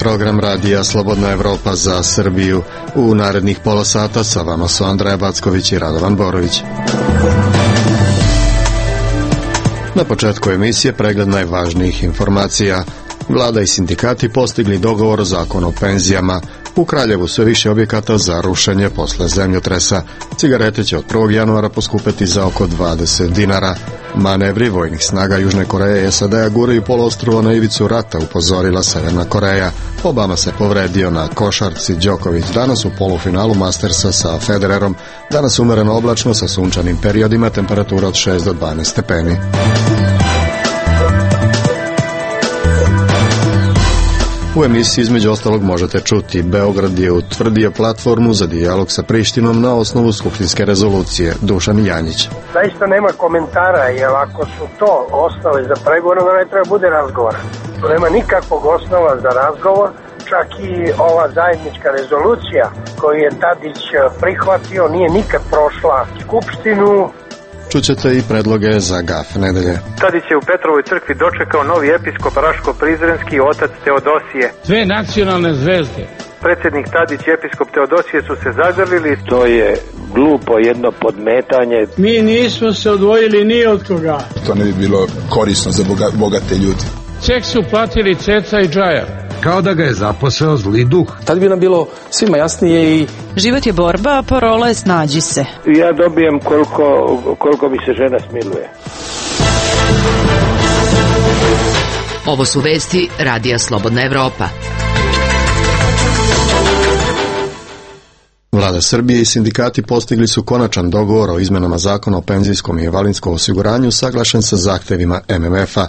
program radija Slobodna Evropa za Srbiju. U narednih pola sata sa vama su Andreja Backović i Radovan Borović. Na početku emisije pregled najvažnijih informacija. Vlada i sindikati postigli dogovor o zakonu o penzijama. U Kraljevu sve više objekata za rušenje posle zemljotresa. Cigarete će od 1. januara poskupeti za oko 20 dinara. Manevri vojnih snaga Južne Koreje i SAD-a guraju poluostrvo na ivicu rata, upozorila Severna Koreja. Obama se povredio na košarci. Đoković danas u polufinalu Mastersa sa Federerom. Danas umereno oblačno sa sunčanim periodima, temperatura od 6 do 12 stepeni. U emisiji između ostalog možete čuti: Beograd je utvrdio platformu za dijalog sa Prištinom na osnovu skupštinske rezolucije. Dušan Janjić. Zaista nema komentara, jer ako su to osnove za pregovor, onda ne treba bude razgovora. Tu nema nikakvog osnova za razgovor, čak i ova zajednička rezolucija koju je Tadić prihvatio nije nikad prošla skupštinu. Čućete i predloge za GAF nedelje. Tadić je u Petrovoj crkvi dočekao novi episkop Raško-Prizrenski otac Teodosije. Dve nacionalne zvezde. Predsjednik Tadić i episkop Teodosije su se zagrlili. To je glupo jedno podmetanje. Mi nismo se odvojili ni od koga. To ne bi bilo korisno za bogate ljudi. Ceh su platili Ceca i Džaja. Kao da ga je zaposeo zli duh. Tad bi nam bilo svima jasnije i... Život je borba, a parola je snađi se. Ja dobijem koliko mi se žena smiluje. Ovo su vesti radija Slobodna Evropa. Vlada Srbije i sindikati postigli su konačan dogovor o izmenama zakona o penzijskom i invalidskom osiguranju saglašen sa zahtevima MMF-a.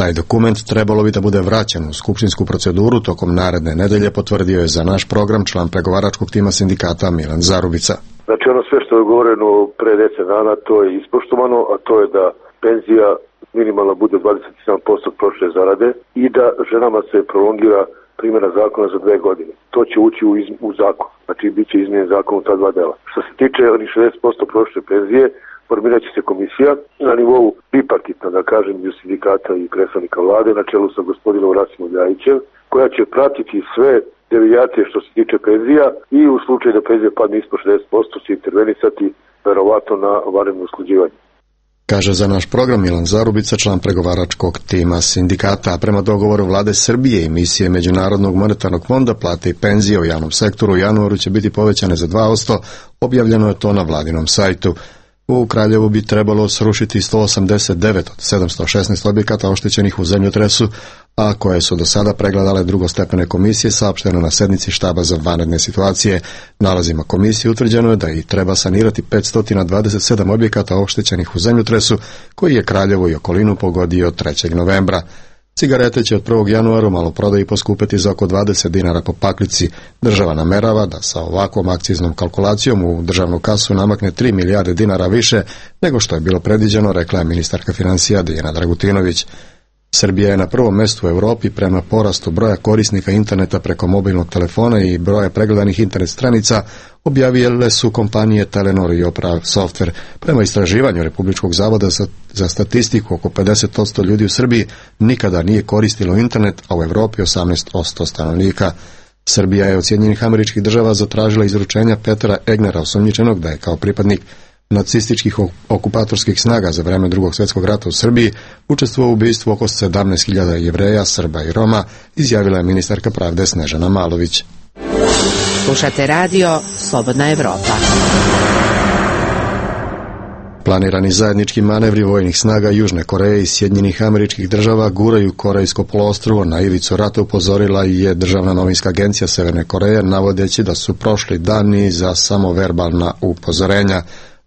Taj dokument trebalo bi da bude vraćen u skupštinsku proceduru tokom naredne nedelje, potvrdio je za naš program član pregovaračkog tima sindikata Milan Zarubica. Znači ono sve što je govoreno pre 10 dana, to je ispoštovano, a to je da penzija minimalna bude 27% prošle zarade i da ženama se prolongira primjena zakona za 2 godine. To će ući u zakon, znači bit će izmijenjen zakon u ta 2 dela. Što se tiče onih 60% prošle penzije, formirat će se komisija na nivou bipartitna, da kažem, između sindikata i predstavnika vlade na čelu sa gospodinom Rasimom Ljajićem, koja će pratiti sve devijacije što se tiče penzija i u slučaju da penzija padne ispod 60% će intervenisati verovatno na vanredno usklađivanje. Kaže za naš program Milan Zarubica, član pregovaračkog tima sindikata. A prema dogovoru vlade Srbije i misije Međunarodnog monetarnog fonda, plate i penzije u javnom sektoru u januaru će biti povećane za 2%, objavljeno je to na vladinom sajtu. U Kraljevu bi trebalo srušiti 189 od 716 objekata oštećenih u zemljotresu, a koje su do sada pregledale drugostepene komisije, saopšteno na sednici štaba za vanredne situacije. Nalazima komisije utvrđeno je da i treba sanirati 527 objekata oštećenih u zemljotresu, koji je Kraljevo i okolinu pogodio 3. novembra. Cigarete će od 1. januara u maloprodaji poskupiti za oko 20 dinara po paklici. Država namerava da sa ovakvom akciznom kalkulacijom u državnu kasu namakne 3 milijarde dinara više nego što je bilo predviđeno, rekla je ministarka financija Dijana Dragutinović. Srbija je na prvom mestu u Europi prema porastu broja korisnika interneta preko mobilnog telefona i broja pregledanih internet stranica, objavile su kompanije Telenor i Opera Software. Prema istraživanju Republičkog zavoda za statistiku, oko 50% ljudi u Srbiji nikada nije koristilo internet, a u Europi 18% stanovnika. Srbija je od Sjedinjenih Američkih Država zatražila izručenja Petera Egnera, osumnjičenog da je kao pripadnik nacističkih okupatorskih snaga za vreme Drugog svjetskog rata u Srbiji učestvovao u ubistvu oko 17.000 Jevreja, Srba i Roma, izjavila je ministarka pravde Snežana Malović. Slušate radio Slobodna Evropa. Planirani zajednički manevri vojnih snaga Južne Koreje i Sjedinjenih Američkih Država guraju Korejsko poluostrvo na ivicu rata, upozorila je Državna novinska agencija Severne Koreje, navodeći da su prošli dani za samo verbalna upozorenja.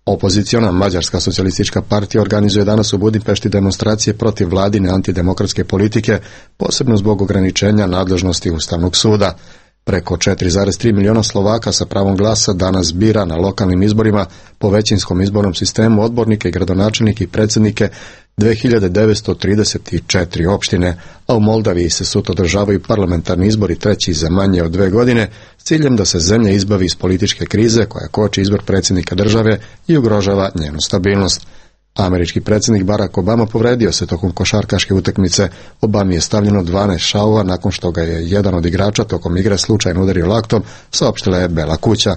Opoziciona Mađarska socijalistička partija organizuje danas u Budimpešti demonstracije protiv vladine antidemokratske politike, posebno zbog ograničenja nadležnosti Ustavnog suda. Preko 4,3 miliona Slovaka sa pravom glasa danas bira na lokalnim izborima po većinskom izbornom sistemu odbornike i gradonačelnike i predsjednike 2934 opštine, a u Moldaviji se sutra održavaju parlamentarni izbori, treći za manje od 2 godine, s ciljem da se zemlja izbavi iz političke krize koja koči izbor predsjednika države i ugrožava njenu stabilnost. Američki predsjednik Barack Obama povredio se tokom košarkaške utakmice. Obami je stavljeno 12 šavova nakon što ga je jedan od igrača tokom igre slučajno udario laktom, saopštila je Bela kuća.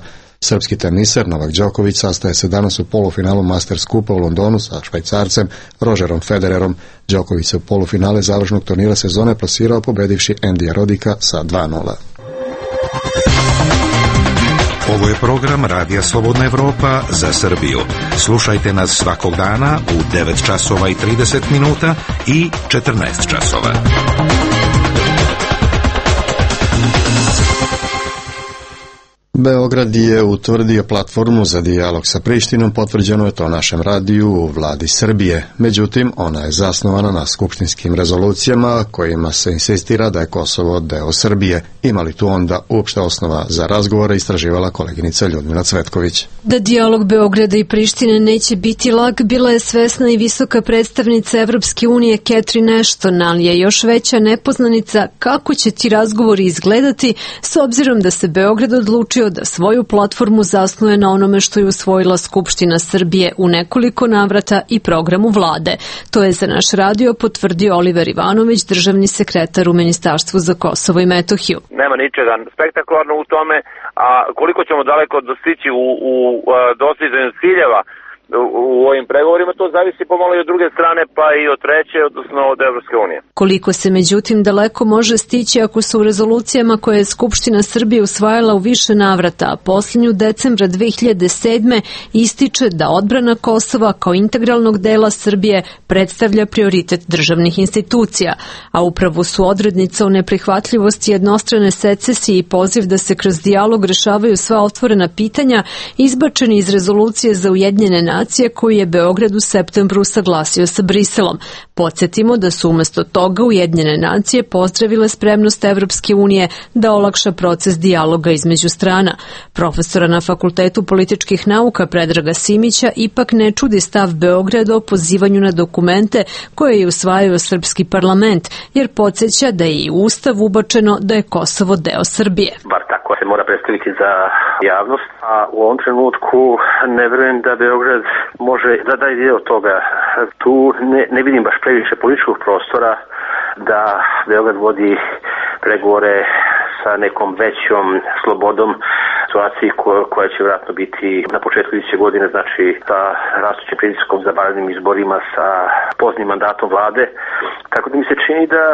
Srpski teniser Novak Đoković sastaje se danas u polufinalu Masters Kupa u Londonu sa Švajcarcem Rogerom Federerom. Đoković se u polufinale završnog turnira sezone plasirao pobedivši Endija Rodika sa 2:0. Ovo je program Radija Slobodna Evropa za Srbiju. Slušajte nas svakog dana u 9 časova i 30 minuta i 14 časova. Beograd je utvrdio platformu za dijalog sa Prištinom, potvrđeno je to našem radiju u vladi Srbije. Međutim, ona je zasnovana na skupštinskim rezolucijama kojima se insistira da je Kosovo deo Srbije. Ima li tu onda uopšte osnova za razgovore, istraživala koleginica Ljudmila Cvetković. Da dijalog Beograda i Prištine neće biti lak, bila je svesna i visoka predstavnica Evropske unije Catherine Ashton, ali je još veća nepoznanica kako će ti razgovori izgledati s obzirom da se Beograd odlučio da svoju platformu zasnuje na onome što je usvojila Skupština Srbije u nekoliko navrata i programu vlade. To je za naš radio potvrdio Oliver Ivanović, državni sekretar u Ministarstvu za Kosovo i Metohiju. Nema ničega spektakularno u tome, a koliko ćemo daleko dostići u dostizanju ciljeva u ovim pregovorima, to zavisi pomalo i od druge strane, pa i od treće, odnosno od Evropske unije. Koliko se međutim daleko može stići ako su u rezolucijama koje je Skupština Srbije usvajala u više navrata, a posljednju decembra 2007. ističe da odbrana Kosova kao integralnog dela Srbije predstavlja prioritet državnih institucija, a upravo su odrednica o neprihvatljivosti jednostrane secesije i poziv da se kroz dijalog rešavaju sva otvorena pitanja izbačeni iz rezolucije za Ujedinjene nacije koju je Beograd u septembru usaglasio sa Briselom. Podsjetimo da su umjesto toga Ujedinjene nacije pozdravile spremnost Evropske unije da olakša proces dijaloga između strana. Profesora na Fakultetu političkih nauka Predraga Simića ipak ne čudi stav Beograda o pozivanju na dokumente koje je usvajao srpski parlament, jer podsjeća da je i u Ustav ubačeno da je Kosovo deo Srbije. Bar tako se mora predstaviti za javnost, a u ovom trenutku ne verujem da Beograd može da daje dio toga. Tu ne vidim baš previše političkog prostora da Beograd vodi pregovore sa nekom većom slobodom situaciji koja će vjerojatno biti na početku iduće godine, znači sa rastućim pritiskom za vanrednim izborima, sa poznim mandatom vlade. Tako da mi se čini da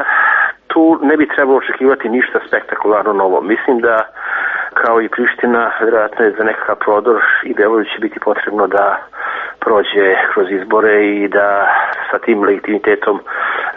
tu ne bi trebalo očekivati ništa spektakularno novo. Mislim da kao i Priština, vjerojatno je za nekakav prodor i Beogradu će biti potrebno da prođe kroz izbore i da sa tim legitimitetom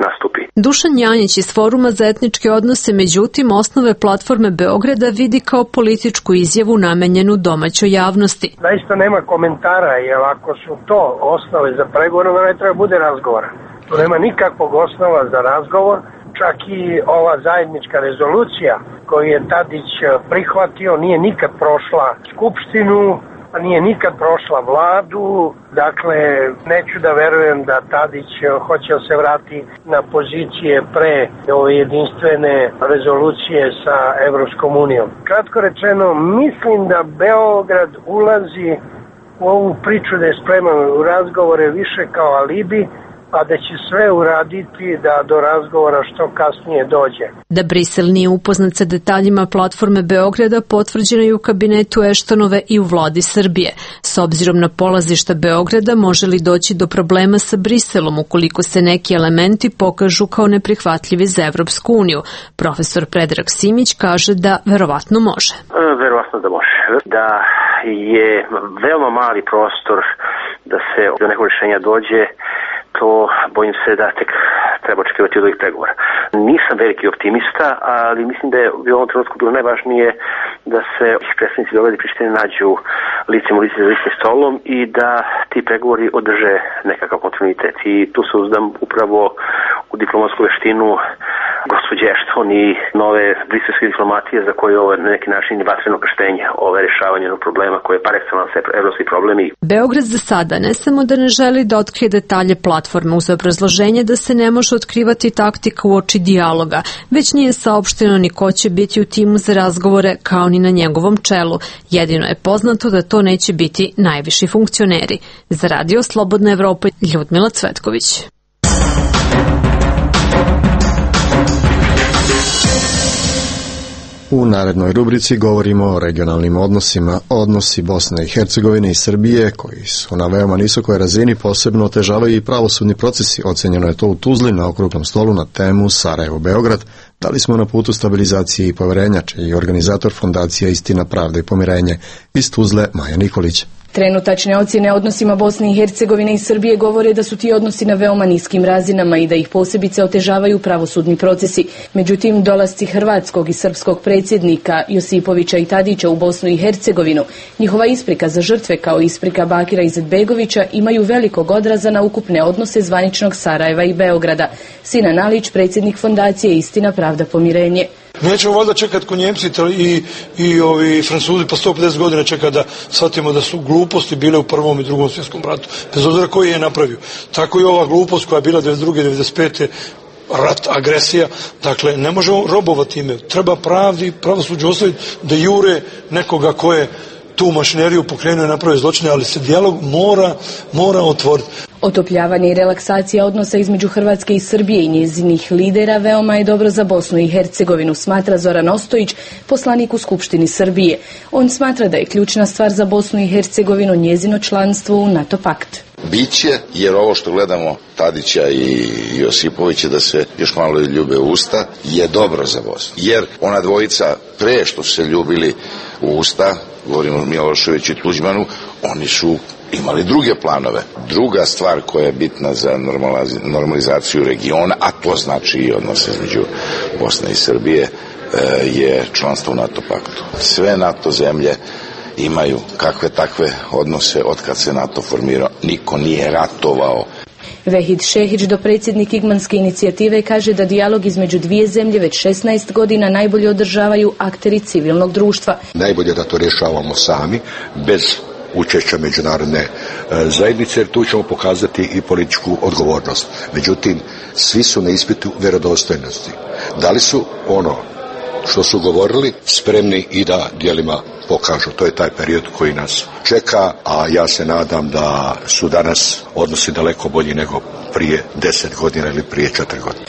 nastupi. Dušan Janjić iz Foruma za etničke odnose, međutim, osnove platforme Beograda vidi kao političku izjavu namenjenu domaćoj javnosti. Zaista nema komentara, jer ako su to osnove za pregovor, onda ne treba bude razgovora. Tu nema nikakvog osnova za razgovor. Čak i ova zajednička rezolucija koju je Tadić prihvatio nije nikad prošla Skupštinu, a nije nikad prošla vladu. Dakle, neću da verujem da Tadić hoće da se vrati na pozicije pre ove jedinstvene rezolucije sa Evropskom unijom. Kratko rečeno, mislim da Beograd ulazi u ovu priču da je spreman u razgovore više kao alibi, a da će sve uraditi da do razgovora što kasnije dođe. Da Brisel nije upoznat sa detaljima platforme Beograda potvrđeno je u kabinetu Eštonove i u vladi Srbije. S obzirom na polazišta Beograda može li doći do problema sa Briselom ukoliko se neki elementi pokažu kao neprihvatljivi za Evropsku uniju? Profesor Predrag Simić kaže da verovatno može. Verovatno da može. Da je veoma mali prostor da se do nekog rješenja dođe, to bojim se da tek treba očekivati od ovih pregovora. Nisam veliki optimista, ali mislim da je u ovom trenutku bilo najvažnije da se predstavnici Beograda i Prištine nađu licem u lice za istim stolom i da ti pregovori održe nekakav kontinuitet. I tu se uzdam upravo u diplomatsku veštinu gospođe Ashton i nove briselske diplomatije za koje ovo na neki način je vatreno krštenje, ovo rješavanje problema koje je par excellence evropski problemi. Beograd za sada ne samo da ne želi da otkrije detalje platforme uz obrazloženje da se ne može otkrivati taktika uoči dijaloga, već nije saopšteno ni ko će biti u timu za razgovore kao ni na njegovom čelu. Jedino je poznato da to neće biti najviši funkcioneri. Za Radio Slobodna Evropa, Ljudmila Cvetković. U narednoj rubrici govorimo o regionalnim odnosima. Odnosi Bosne i Hercegovine i Srbije, koji su na veoma nisokoj razini, posebno otežavaju i pravosudni procesi. Ocenjeno je to u Tuzli na okruglom stolu na temu Sarajevo-Beograd. Da li smo na putu stabilizacije i poverenja, čiji je organizator fondacija Istina, pravda i pomirenje. Iz Tuzle, Maja Nikolić. Trenutačne ocjene odnosima Bosne i Hercegovine i Srbije govore da su ti odnosi na veoma niskim razinama i da ih posebice otežavaju pravosudni procesi. Međutim, dolasci hrvatskog i srpskog predsjednika Josipovića i Tadića u Bosnu i Hercegovinu, njihova isprika za žrtve kao isprika Bakira Izetbegovića imaju velikog odraza na ukupne odnose zvaničnog Sarajeva i Beograda. Sinan Alić, predsjednik fondacije Istina, pravda, pomirenje. Nećemo valjda čekati ko Njemci i ovi Francuzi pa 150 godina čekati da shvatimo da su gluposti bile u Prvom i Drugom svjetskom ratu, bez obzira koji je napravio. Tako i ova glupost koja je bila 92. 95. rat, agresija, dakle ne možemo robovati ime. Treba pravdi, pravosuđu ostaviti da jure nekoga ko je tu mašineriju pokrenuo i napravio zločine, ali se dijalog mora otvoriti. Otopljavanje i relaksacija odnosa između Hrvatske i Srbije i njezinih lidera veoma je dobro za Bosnu i Hercegovinu, smatra Zoran Ostojić, poslanik u Skupštini Srbije. On smatra da je ključna stvar za Bosnu i Hercegovinu njezino članstvo u NATO pakt. Biće, jer ovo što gledamo Tadića i Josipovića da se još malo ljube u usta, je dobro za Bosnu. Jer ona dvojica pre što se ljubili u usta, govorimo o Miloševiću i Tuđmanu, oni su imali druge planove. Druga stvar koja je bitna za normalizaciju regiona, a to znači i odnose između Bosne i Srbije, je članstvo u NATO paktu. Sve NATO zemlje imaju kakve takve odnose od kad se NATO formirao. Niko nije ratovao. Vehid Šehić, dopredsjednik Igmanske inicijative, kaže da dijalog između dvije zemlje već 16 godina najbolje održavaju akteri civilnog društva. Najbolje da to rješavamo sami, bez učešća međunarodne zajednice, jer tu ćemo pokazati i političku odgovornost. Međutim, svi su na ispitu vjerodostojnosti. Da li su ono što su govorili spremni i da djelima pokažu. To je taj period koji nas čeka, a ja se nadam da su danas odnosi daleko bolji nego prije 10 godina ili prije 4 godine.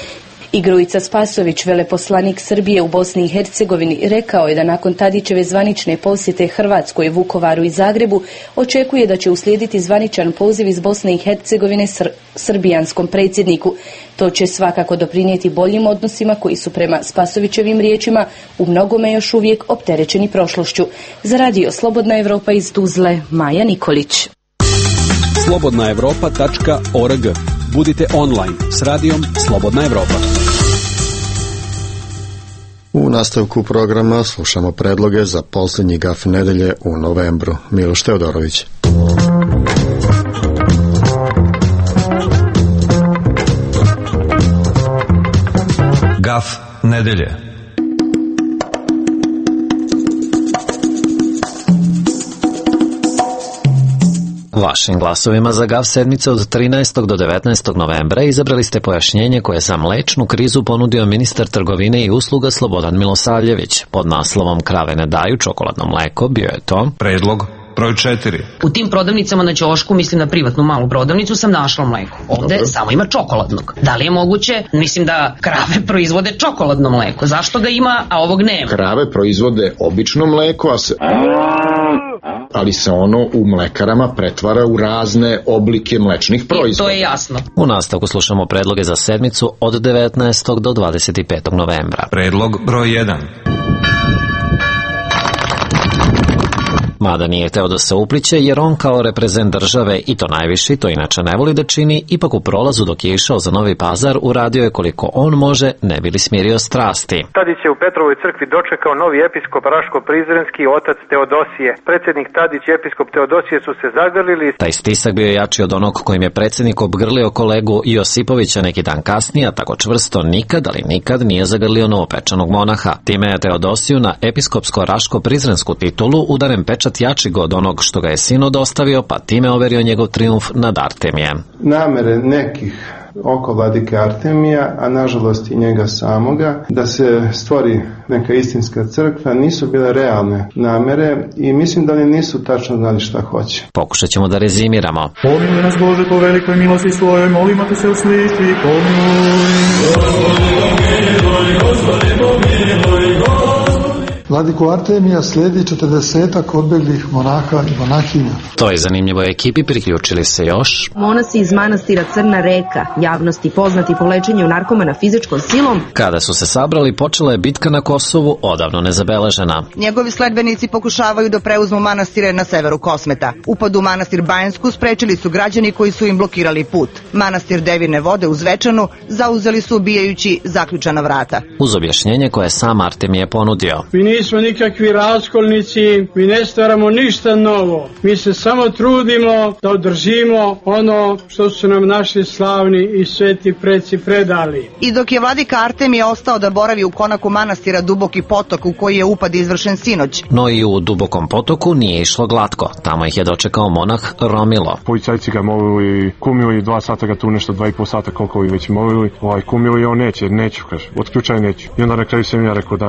I Grujica Spasović, veleposlanik Srbije u Bosni i Hercegovini, rekao je da nakon Tadićeve zvanične posjete Hrvatskoj, Vukovaru i Zagrebu očekuje da će uslijediti zvaničan poziv iz Bosne i Hercegovine srbijanskom predsjedniku. To će svakako doprinijeti boljim odnosima koji su prema Spasovićevim riječima u mnogome još uvijek opterećeni prošlošću. Za Radio Slobodna Evropa iz Tuzle, Maja Nikolić. slobodnaevropa.org. Budite online s radijom Slobodna Evropa. U nastavku programa slušamo predloge za posljednji gaf nedelje u novembru. Miloš Teodorović. Gaf nedelje. Vašim glasovima za GAF sedmice od 13. do 19. novembra izabrali ste pojašnjenje koje za mlečnu krizu ponudio ministar trgovine i usluga Slobodan Milosavljević. Pod naslovom Krave ne daju čokoladno mleko bio je to predlog broj 4. U tim prodavnicama na ćošku, mislim na privatnu malu prodavnicu, sam našla mleko. Ovde samo ima čokoladnog. Da li je moguće? Mislim da krave proizvode čokoladno mleko. Zašto ga ima, a ovog nema? Krave proizvode obično mleko, ali se ono u mlekarama pretvara u razne oblike mlečnih proizvoda. To je jasno. U nastavku slušamo predloge za sedmicu od 19. do 25. novembra. Predlog broj 1. Mada nije hteo da se upliće jer on kao reprezent države i to najviši, to inače ne voli da čini, ipak u prolazu dok je išao za Novi Pazar uradio je koliko on može, ne bi li smirio strasti. Tadić je u Petrovoj crkvi dočekao novi episkop Raško-Prizrenski, otac Teodosije. Predsjednik Tadić i episkop Teodosije su se zagrlili. Taj stisak bio jači od onog kojim je predsjednik obgrlio kolegu Josipovića neki dan kasnije, a tako čvrsto nikad, ali nikad nije zagrlio novopečanog monaha. Time je Teodosiju na episkopsko-raško-prizrensku titulu udaren pečat jači od onog što ga je sinod ostavio, pa time overio njegov trijumf nad Artemijem. Namere nekih oko vladike Artemija, a nažalost i njega samoga, da se stvori neka istinska crkva, nisu bile realne namere i mislim da oni nisu tačno znali šta hoće. Pokušat ćemo da rezimiramo. Pomiluj nas Bože po velikoj milosti svojoj, molimo te se usliši, Vladiku Artemija slijedi 40-ak odbeglih monaha i monahinja. Toj zanimljivoj ekipi priključili se još monasi iz manastira Crna Reka, javnosti poznati po lečenju narkomana fizičkom silom. Kada su se sabrali, počela je bitka na Kosovu, odavno nezabeležena. Njegovi sledbenici pokušavaju da preuzmu manastire na severu Kosmeta. Upad u manastir Bajansku sprečili su građani koji su im blokirali put. Manastir Devine vode u Zvečanu zauzeli su ubijajući zaključana vrata. Uz objašnjenje koje sam Artemije ponudio. Mi nismo nikakvi raskolnici, mi ne stvaramo ništa novo. Mi se samo trudimo da održimo ono što su nam naši slavni i sveti preci predali. I dok je vladika Artemije ostao da boravi u konaku manastira Duboki potok u koji je upad izvršen sinoć. No i u Dubokom potoku nije išlo glatko. Tamo ih je dočekao monah Romilo. Policajci ga molili, kumili 2 sata ga tu nešto, 2,5 sata koliko ih već molili. Kumili on neću, kaže, otključaj neću. I onda na kraju sam ja rekao da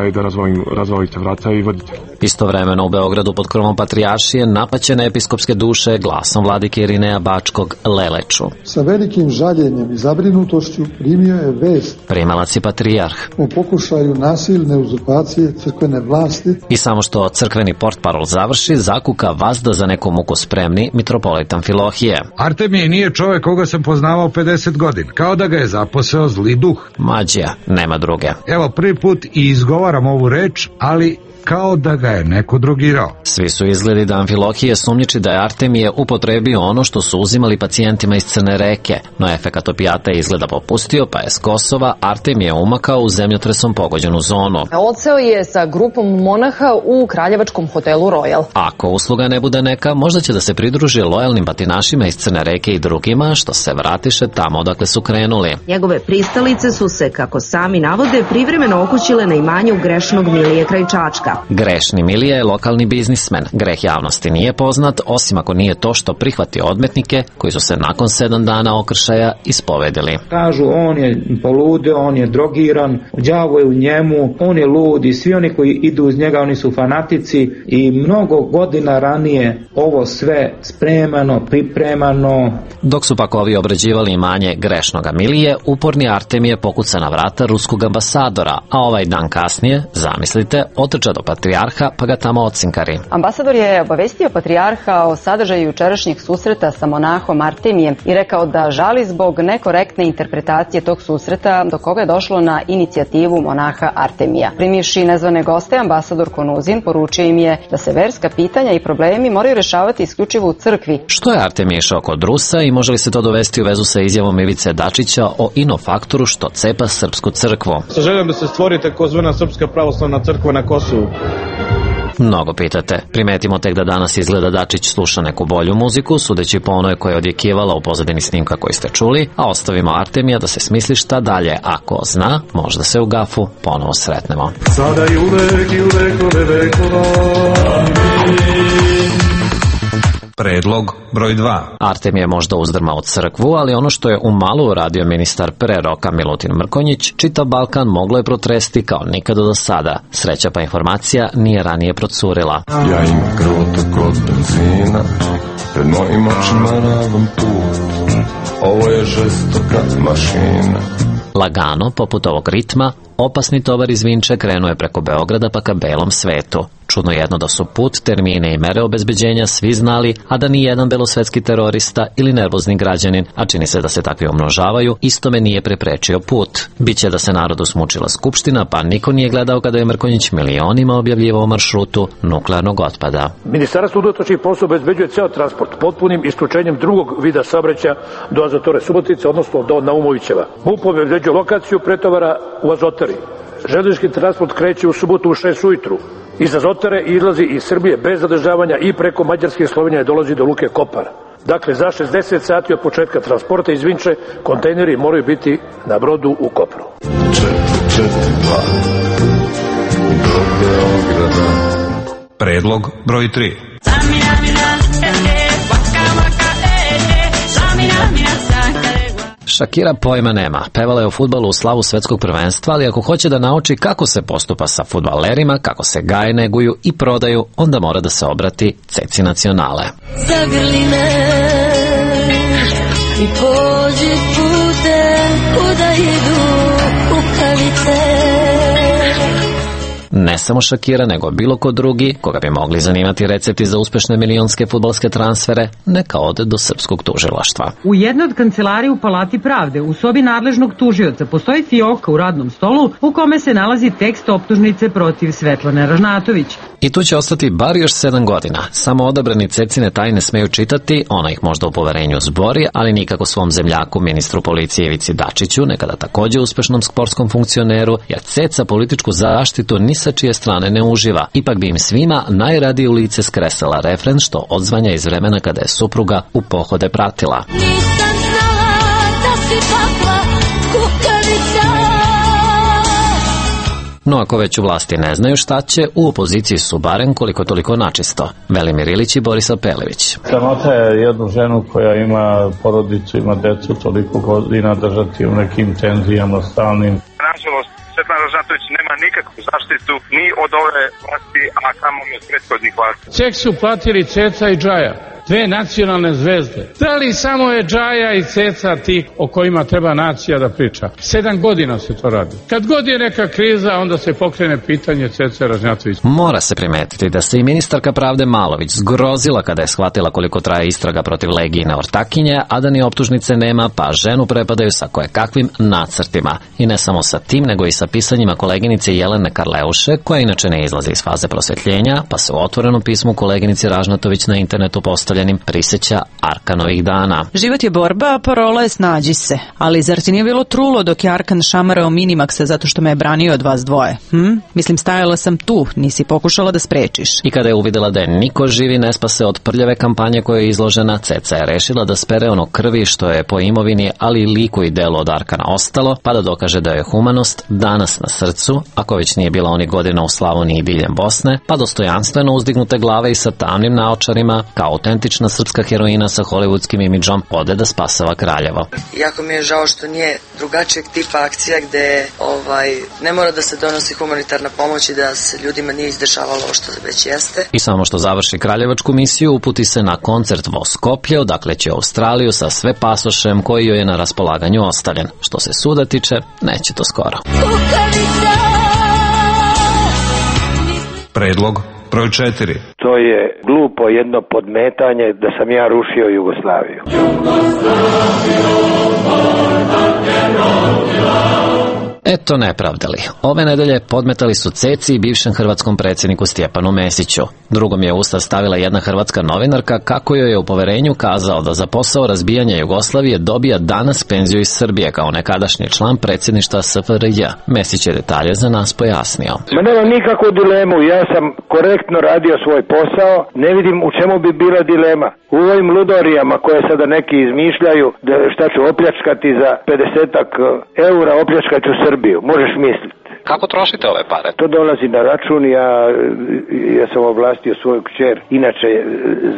razvalite vrata i vodite. Istovremeno u Beogradu pod krovom patrijaršije napaćene episkopske duše glasom vladike Irineja Bačkog leleču. Sa velikim žaljenjem i zabrinutošću primio je vest. Primalac je patrijarh. O pokušaju nasilne uzurpacije crkvene vlasti. I samo što crkveni portparol završi, zakuka vazda za neku muku spremni mitropolitan Filohije. Artemije nije čovjek koga sam poznavao 50 godina. Kao da ga je zaposeo zli duh. Mađija, nema druge. Evo, prvi put i izgovaram ovu reč, ali kao da ga je neko drogirao. Svi su izgledi da Amfilohije sumnjiči da je Artemije upotrebio ono što su uzimali pacijentima iz Crne Reke, no efekat opijata je izgleda popustio, pa je s Kosova Artemije umakao u zemljotresom pogođenu zonu. Odseo je sa grupom monaha u kraljevačkom hotelu Royal. Ako usluga ne bude neka, možda će da se pridruži lojalnim batinašima iz Crne Reke i drugima što se vratiše tamo odakle su krenuli. Njegove pristalice su se, kako sami navode, privremeno okućile na imanju grešnog Milije kraj Čačka. Grešni Milija je lokalni biznismen. Greh javnosti nije poznat, osim ako nije to što prihvati odmetnike koji su se nakon 7 dana okršaja ispovedili. Kažu, on je poludeo, on je drogiran, đavo je u njemu, on je lud i svi oni koji idu uz njega, oni su fanatici i mnogo godina ranije ovo sve spremano, pripremano. Dok su pak ovi obrađivali imanje grešnoga Milije, uporni Artemije pokuca na vrata ruskog ambasadora, a ovaj dan kasnije, zamislite, otrča do patrijarha pa ga tamo ocinkari. Ambasador je obavestio patrijarha o sadržaju jučerašnjeg susreta sa monahom Artemijem i rekao da žali zbog nekorektne interpretacije tog susreta do koga je došlo na inicijativu monaha Artemija. Primivši nezvane goste, ambasador Konuzin poručio im je da se verska pitanja i problemi moraju rešavati isključivo u crkvi. Što je Artemije išao kod Rusa i može li se to dovesti u vezu sa izjavom Ivice Dačića o inofaktoru što cepa srpsku crkvu? Sa željom da se stvori takozvana Srpska pravoslavna crkva na Kosovu. Mnogo pitate. Primetimo tek da danas izgleda Dačić sluša neku bolju muziku, sudeći po onoj koja je odjekivala u pozadini snimka koji ste čuli, a ostavimo Artemija da se smisli šta dalje. Ako zna, možda se u gafu ponovo sretnemo. Sada i uvek vekove vekova. Predlog broj 2. Artemije je možda uzdrmao crkvu, ali ono što je u malu uradio ministar pre roka Milutin Mrkonjić, čitav Balkan moglo je protresti kao nikada do sada. Sreća pa informacija nije ranije procurila. Ja imam krvotok od benzina, pred mojim očima ravan put. Ovo je žestoka mašina. Lagano, poput ovog ritma, Opasni tovar iz Vinče krenuo je preko Beograda pa ka belom svetu. Čudno jedno da su put, termine i mere obezbeđenja svi znali, a da ni jedan belosvetski terorista ili nervozni građanin, a čini se da se takvi umnožavaju, istome nije preprečio put. Biće da se narodu smučila skupština, pa niko nije gledao kada je Mrkonjić milionima objavljivao maršrutu nuklearnog otpada. Ministarstvo unutrašnjih poslova obezbeđuje ceo transport potpunim isključenjem drugog vida saobraćaja do Azotare Subotice, odnosno do Naumovićeva. MUP obezbeđuje lokaciju pretovara u Azotari. Železnički transport kreće u subotu u 6 ujutru. Iz Azotare izlazi iz Srbije bez zadržavanja i preko Mađarske i Slovenije dolazi do luke Kopar. Dakle, za 60 sati od početka transporta iz Vinče kontejneri moraju biti na brodu u Kopru. 442 do Beograda. Predlog broj 3. Shakira pojma nema. Pevala je o fudbalu u slavu svetskog prvenstva, ali ako hoće da nauči kako se postupa sa fudbalerima, kako se gaje, neguju i prodaju, onda mora da se obrati Ceci Nacionale. Zagrli me i pođi putem kuda idu kukavice. Ne samo Shakira, nego bilo ko drugi, koga bi mogli zanimati recepti za uspešne milionske fudbalske transfere, neka ode do srpskog tužilaštva. U jednoj od kancelarija u Palati pravde, u sobi nadležnog tužioca, postoji fioka u radnom stolu u kome se nalazi tekst optužnice protiv Svetlane Ražnatović. I tu će ostati bar još 7 godina. Samo odabrani Cecine tajne smeju čitati, ona ih možda u poverenju zbori, ali nikako svom zemljaku, ministru policije Ivici Dačiću, nekada takođe uspešnom sportskom funkcioneru, jer Ceca političku zaštitu ni sa čije strane ne uživa. Ipak bi im svima najradije u lice skresala refren što odzvanja iz vremena kada je supruga u pohode pratila. Nisam znala da si takva kukavica. No ako već u vlasti ne znaju šta će, u opoziciji su barem koliko toliko načisto. Velimir Ilić i Borisa Pelević. Sramota je jednu ženu koja ima porodicu, ima decu toliko godina držati u nekim tenzijama stalnim. Nažalost, Svetlana Ražnatović nema nikakvu zaštitu ni od ove vlasti, a kamoli od prethodnih vlasti. Cek su platili Ceca i Džaja, dve nacionalne zvezde. Da li samo je Džaja i Ceca ti o kojima treba nacija da priča? 7 godina se to radi. Kad god je neka kriza, onda se pokrene pitanje Cece Ražnjatović. Mora se primetiti da se i ministarka pravde Malović zgrozila kada je shvatila koliko traje istraga protiv Legijine ortakinje, a da ni optužnice nema, pa ženu prepadaju sa kojekakvim nacrtima. I ne samo sa tim, nego i sa pisanjima koleginice Jelene Karleuše, koja inače ne izlazi iz faze prosvetljenja, pa se u otvorenom pismu koleginici Ražnatović na internetu postavljenim priseća Arkanovih dana. Život je borba, a parola je snađi se. Ali zar ti nije bilo trulo dok je Arkan šamarao Minimaxa zato što me je branio od vas dvoje? Mislim, stajala sam tu, nisi pokušala da sprečiš. I kada je uvidela da je niko živi ne spase od prljave kampanje koja je izložena, Ceca je rešila da spere ono krvi što je po imovini, ali i liku i delu od Arkana ostalo, pa da dokaže da je humanost danas na srcu, ako već nije bila onih godina u Slavoniji i diljem Bosne, pa dostojanstveno uzdignute glave i sa tamnim naočarima, kao autentična srpska heroina sa hollywoodskim imidžom, ode da spasava Kraljevo. Jako mi je žao što nije drugačijeg tipa akcija gde ne mora da se donosi humanitarna pomoć i da se ljudima nije izdešavalo ovo što već jeste. I samo što završi kraljevačku misiju, uputi se na koncert vo Skoplje, odakle će u Australiju sa sve pasošem koji joj je na raspolaganju ostavljen. Što se suda tiče, neće to skoro. Predlog broj 4. To je glupo jedno podmetanje da sam ja rušio Jugoslaviju. Eto nepravdali. Ove nedelje podmetali su Ceci i bivšem hrvatskom predsjedniku Stjepanu Mesiću. Drugom je usta stavila jedna hrvatska novinarka kako joj je u poverenju kazao da za posao razbijanja Jugoslavije dobija danas penziju iz Srbije kao nekadašnji član predsjedništva SFRJ. Mesić je detalje za nas pojasnio. Ma nemam nikakvu dilemu, ja sam korektno radio svoj posao, ne vidim u čemu bi bila dilema. U ovim ludorijama koje sada neki izmišljaju da šta ću opljačkati za 50-ak eura, opljačkat ću Srbiju, možeš misliti. Kako trošite ove pare? To dolazi na račun, ja sam ovlastio svoju kćer, inače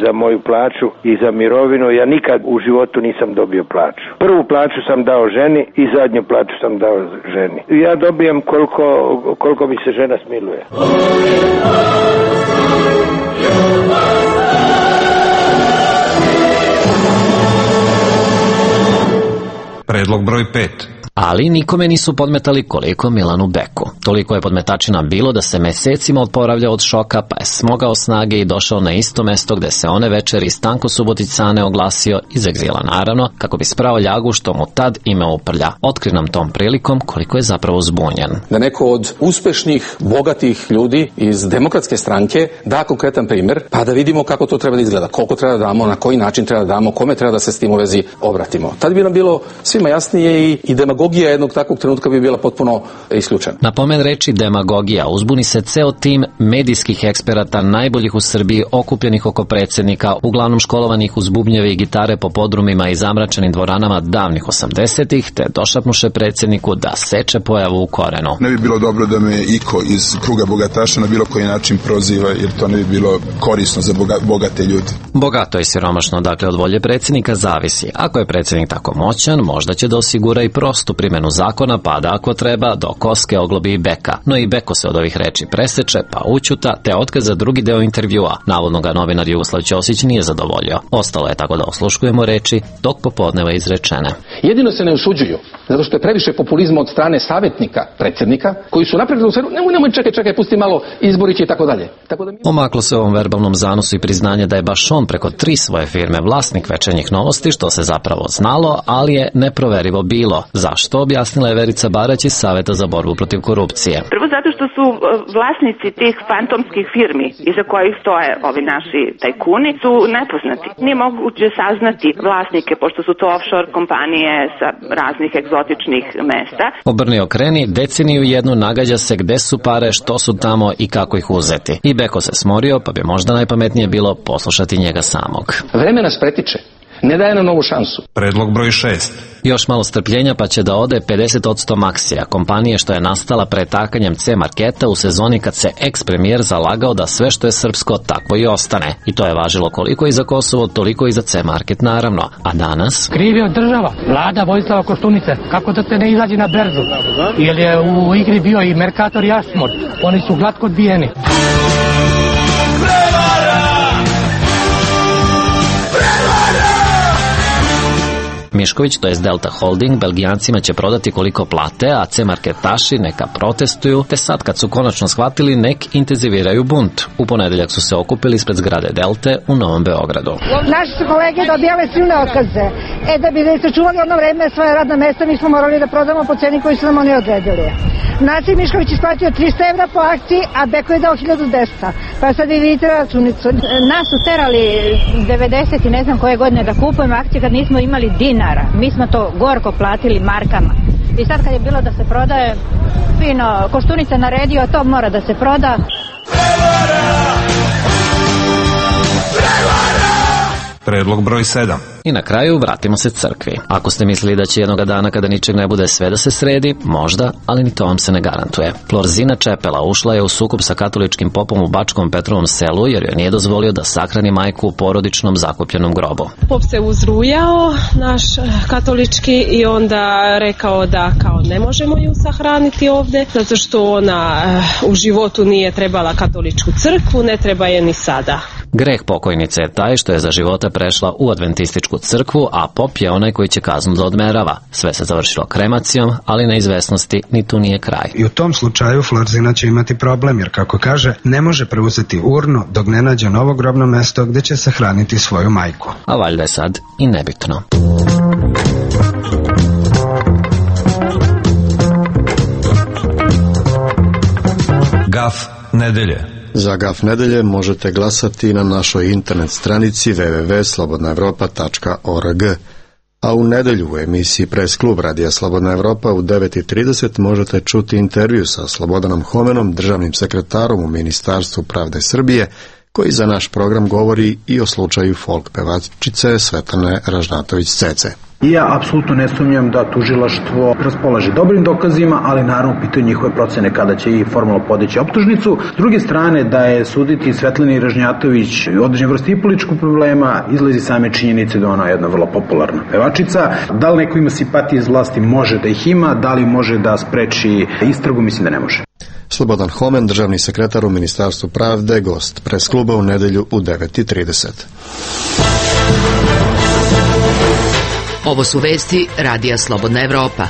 za moju plaću i za mirovinu, ja nikad u životu nisam dobio plaću. Prvu plaću sam dao ženi i zadnju plaću sam dao ženi. Ja dobijem koliko mi se žena smiluje. Predlog broj 5. Ali nikome nisu podmetali koliko Milanu Beku. Toliko je podmetačina bilo da se mesecima oporavljao od šoka, pa je smogao snage i došao na isto mesto gde se one večeri Stanko Subotic-Cane oglasio iz egzila, naravno, kako bi sprao ljagu što mu tad ime uprlja. Otkri nam tom prilikom koliko je zapravo zbunjen. Da neko od uspešnih, bogatih ljudi iz Demokratske stranke da konkretan primer, pa da vidimo kako to treba da izgleda, koliko treba da damo, na koji način treba da damo, kome treba da se s tim u vezi obratimo. Tad bi nam bilo svima jasnije i demagogija jednog takvog trenutka bi bila potpuno isključena. Na pomen reči demagogija uzbuni se ceo tim medijskih eksperata najboljih u Srbiji okupljenih oko predsjednika, uglavnom školovanih uz bubnjeve i gitare po podrumima i zamračenim dvoranama davnih 80-ih, te došapnuše predsjedniku da seče pojavu u korenu. Ne bi bilo dobro da me iko iz kruga bogataša na bilo koji način proziva, jer to ne bi bilo korisno za bogate ljude. Bogato i siromašno, dakle, od volje predsjednika zavisi. Ako je predsjednik tako moćan, možda će da osigura i prostu primjenu zakona, pa da ako treba do koske oglobi i Beka. No i Beko se od ovih reči preseče, pa učuta, te otkaz za drugi deo intervjua. Navodno ga novinar Jugoslav Ćosić nije zadovoljio. Ostalo je tako da osluškujemo reči dok popodneva izrečene. Jedino se ne usuđuju, zato što je previše populizma od strane savjetnika predsjednika, koji su napredili u sferu, nemoj čekaj, pusti malo, izborići i tako dalje. Omaklo se ovom verbalnom zanosu i priznanje da je baš on preko 3 svoje firme vlasnik Večernjih novosti, što se zapravo znalo, ali je neproverivo bilo. Zašto, objasnila je Verica Barać iz Saveta za borbu protiv korupcije. Prvo zato što su vlasnici tih fantomskih firmi iza kojih stoje ovi naši tajkuni su nepoznati. Nije moguće saznati vlasnike, pošto su to offshore kompanije sa raznih egzotičnih mesta. Obrni okreni, deceniju jednu nagađa se gde su pare, što su tamo i kako ih uzeti. I Beko se smorio, pa bi možda najpametnije bilo poslušati njega samog. Vreme nas pretiče. Ne daje nam novu šansu. Predlog broj 6. Još malo strpljenja pa će da ode 50% Maksija, kompanije što je nastala pretakanjem C-marketa u sezoni kad se ex-premijer zalagao da sve što je srpsko takvo i ostane. I to je važilo koliko i za Kosovo, toliko i za C-market naravno. A danas? Kriv je država, vlada Vojislava Koštunice. Kako da te ne izađe na berzu? Jer je u igri bio i Mercator i Ashmore. Oni su glatko odbijeni. Mišković, to je Delta Holding, Belgijancima će prodati koliko plate, a C-marketaši neka protestuju, te sad kad su konačno shvatili nek intenziviraju bunt. U ponedeljak su se okupili ispred zgrade Delte u Novom Beogradu. Naši su kolege dobijale silne otkaze. Da bi sačuvali ono vreme svoje radna mesta, mi smo morali da prodamo po ceni koju su nam oni odredili. Naci Mišković isplatio 300 evra po akciji, a Beko je dao 1200. Pa sad vi vidite računicu. Nas su terali 90 i ne znam koje godine da kupujemo akcije kad nismo imali dinara. Mi smo to gorko platili markama. I sad kad je bilo da se prodaje, fino, Koštunica naredio, to mora da se proda. Predlog broj 7. I na kraju vratimo se crkvi. Ako ste mislili da će jednoga dana kada ničeg ne bude sve da se sredi, možda, ali ni to vam se ne garantuje. Florzina Čepela ušla je u sukob sa katoličkim popom u Bačkom Petrovom selu jer joj nije dozvolio da sahrani majku u porodičnom zakupljenom grobu. Pop se uzrujao, naš katolički, i onda rekao da kao ne možemo ju sahraniti ovde, zato što ona u životu nije trebala katoličku crkvu, ne treba je ni sada. Greh pokojnice je taj što je za života prešla u adventističku crkvu, a pop je onaj koji će kaznu da odmerava. Sve se završilo kremacijom, ali na izvesnosti ni tu nije kraj. I u tom slučaju Florzina će imati problem, jer kako kaže, ne može preuzeti urnu dok ne nađe novo grobno mesto gde će sahraniti svoju majku. A valjda je sad i nebitno. Gaf nedelje. Za Gaf nedelje možete glasati na našoj internet stranici www.slobodnaevropa.org. A u nedelju u emisiji Press Klub Radija Slobodna Evropa u 9:30 možete čuti intervju sa Slobodanom Homenom, državnim sekretarom u Ministarstvu pravde Srbije, koji za naš program govori i o slučaju folk pevačice Svetlane Ražnatović-Cece. I ja apsolutno ne sumnjam da tužilaštvo raspolaže dobrim dokazima, ali naravno pitaju njihove procene kada će i formalno podići optužnicu. S druge strane, da je suditi Svetlani Ražnjatović određen vrsti i političkog problema, izlazi same činjenice da ona je jedna vrlo popularna pevačica. Da li neko ima simpatije iz vlasti? Može da ih ima. Da li može da spreči istragu? Mislim da ne može. Slobodan Homen, državni sekretar u Ministarstvu pravde, gost Press kluba u nedelju u 9:30. Ovo su vesti Radija Slobodna Evropa.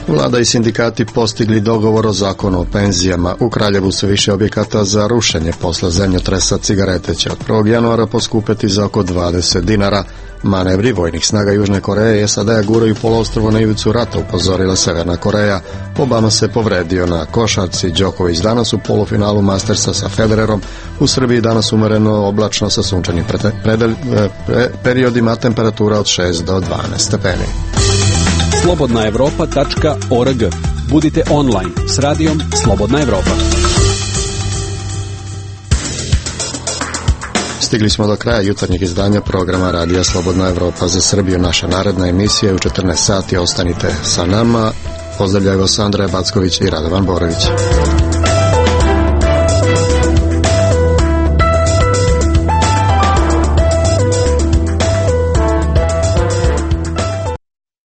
Vlada i sindikati postigli dogovor o zakonu o penzijama. U Kraljevu se više objekata za rušenje posle zemljotresa cigarete će od 1. januara poskupeti za oko 20 dinara. Manevri vojnih snaga Južne Koreje i SAD guraju poluostrvo na ivicu rata, upozorila Severna Koreja. Obama se povredio na košarci. Đoković danas u polufinalu Mastersa sa Federerom. U Srbiji danas umereno oblačno sa sunčanim periodima, temperatura od 6 do 12 stepeni. slobodnaevropa.org. Budite online s radijom Slobodna Evropa. Stigli smo do kraja jutarnjeg izdanja programa Radija Slobodna Evropa za Srbiju. Naša naredna emisija je u 14 sati. Ostanite sa nama. Pozdravljaju vas Andreja Backović i Radovan Borović.